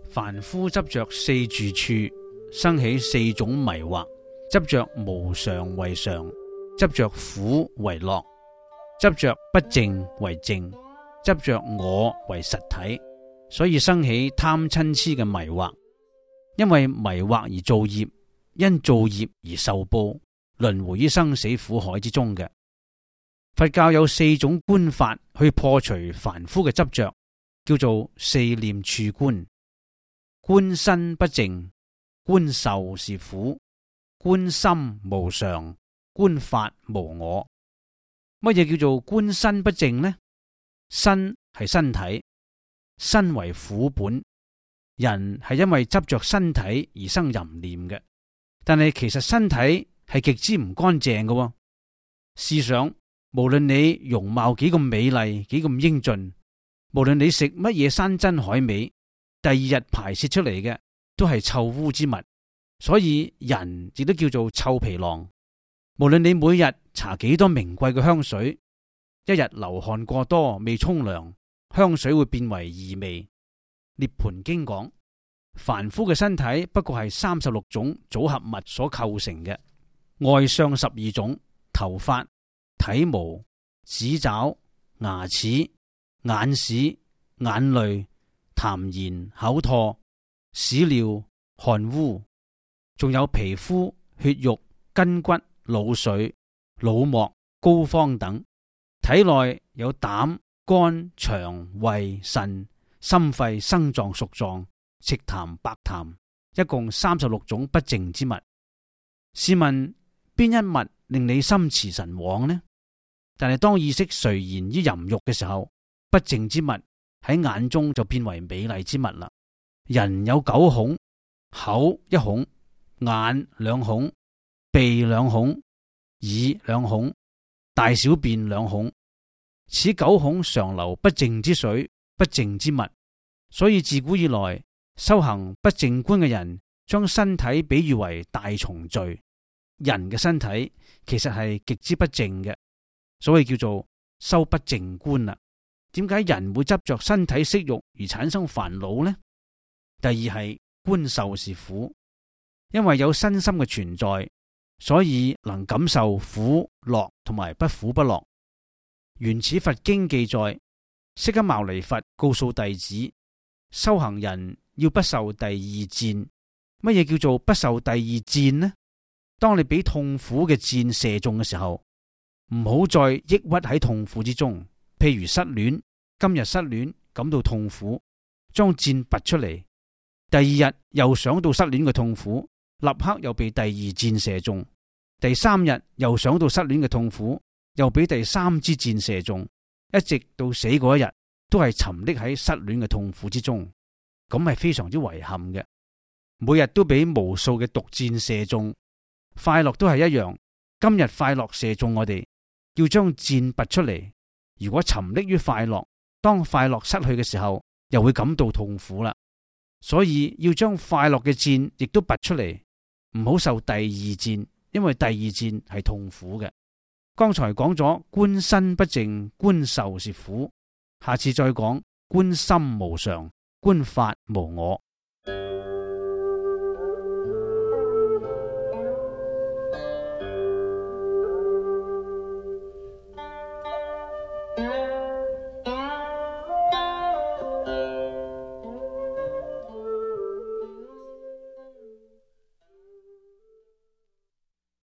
凡夫執着四住處，生起四種迷惑：執着無常為常，執着苦為樂，執着不淨為淨，執着我為實體，所以生起貪嗔癡嘅迷惑。因為迷惑而造業，因造業而受報，輪迴於生死苦海之中嘅。佛教有四種觀法去破除凡夫嘅執着，叫做四念處觀。觀身不淨，觀受是苦，觀心無常，觀法無我。乜嘢叫做觀身不淨呢？身係身體，身為苦本，人係因為執着身體而生淫念嘅。但係其實身體係極之唔乾淨嘅。試想，無論你容貌幾咁美麗，幾咁英俊，無論你食乜嘢山珍海味，第二日排泄出嚟嘅都係臭污之物，所以人亦都叫做臭皮囊。無論你每日搽幾多名貴嘅香水，一日流汗過多未沖涼，香水會變為異味。涅槃經講，凡夫嘅身體不過係36種組合物所構成嘅，外相12種：頭髮、體毛、指爪、牙齒、眼屎、眼淚、痰涎、口唾、屎尿、汗污，仲有皮膚、血肉、筋骨、腦髓、腦膜、膏肓等。體內有膽、肝、腸、胃、腎、心肺、生臟、屬臟、赤痰、白痰，一共36種不淨之物。試問邊一物令你心馳神往呢？但係當意識垂涎於淫欲嘅時候，不淨之物喺眼中就變為美麗之物啦。人有9孔，口1孔，眼2孔，鼻2孔，耳2孔，大小便2孔。此9孔常流不淨之水，不淨之物。所以自古以來修行不淨觀嘅人，將身體比喻為大重罪。人嘅身體其實係極之不淨嘅，所以叫做修不淨觀啦。點解人會執着身體色欲而產生煩惱呢？第二係觀受是苦，因為有身心嘅存在，所以能感受苦樂同埋不苦不樂。原始佛經記載，釋迦牟尼佛告訴弟子，修行人要不受第二箭。乜嘢叫做不受第二箭呢？當你俾痛苦嘅箭射中嘅時候，唔好再抑鬱喺痛苦之中。譬如失戀，今日失戀感到痛苦，將箭拔出嚟，第二日又想到失戀嘅痛苦，立刻又被第二箭射中，第三日又想到失戀嘅痛苦，又俾第三支箭射中，一直到死嗰一日都係沉溺喺失戀嘅痛苦之中，咁係非常之遺憾嘅。每日都俾無數嘅毒箭射中，快樂都係一樣。今日快樂射中我哋，要將箭拔出嚟。如果沉溺於快樂，當快樂失去嘅時候，又會感到痛苦啦。所以要將快樂嘅箭亦都拔出嚟，唔好受第二箭，因為第二箭係痛苦嘅。剛才講咗觀身不淨，觀受是苦，下次再講觀心無常，觀法無我。